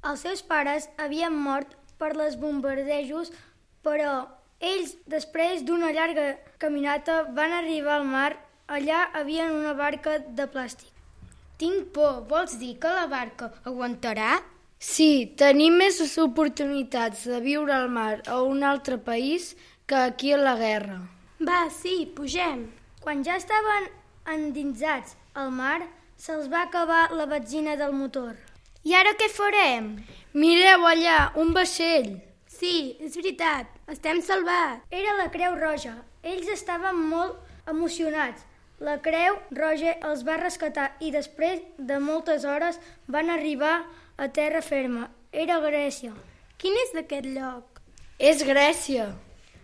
Els seus pares havien mort per les bombardejos, però ells, després d'una llarga caminata, van arribar al mar. Allà havien una barca de plàstic. Tinc por. Vols dir que la barca aguantarà? Sí, tenim més oportunitats de viure al mar a un altre país que aquí a la guerra. Va, sí, pugem. Quan ja estaven endinsats al mar, se'ls va acabar la benzina del motor. I ara què farem? Mireu allà, un vaixell. Sí, és veritat, estem salvats. Era la Creu Roja. Ells estaven molt emocionats. La Creu Roja els va rescatar i després de moltes hores van arribar a terra ferma. Era Grècia. Quin és aquest lloc? És Grècia.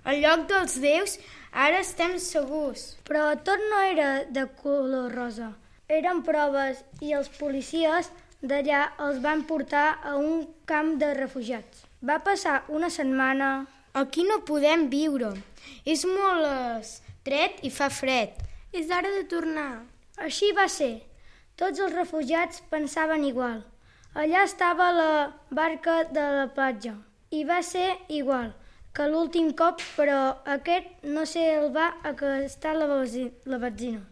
El lloc dels déus, ara estem segurs. Però tot no era de color rosa. Eren proves i els policies d'allà els van portar a un camp de refugiats. Va passar una setmana. Aquí no podem viure. És molt estret i fa fred. És hora de tornar. Així va ser. Tots els refugiats pensaven igual. Allà estava la barca de la platja. I va ser igual que l'últim cop, però aquest no se'l va acostar la benzina.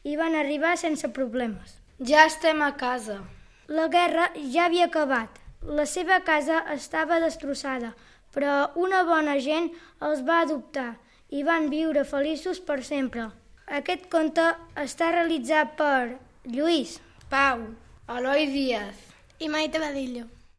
I van arribar sense problemes. Ja estem a casa. La guerra ja havia acabat. La seva casa estava destrossada, però una bona gent els va adoptar i van viure feliços per sempre. Aquest conte està realitzat per Lluís, Pau, Eloi Díaz i Maite Badillo.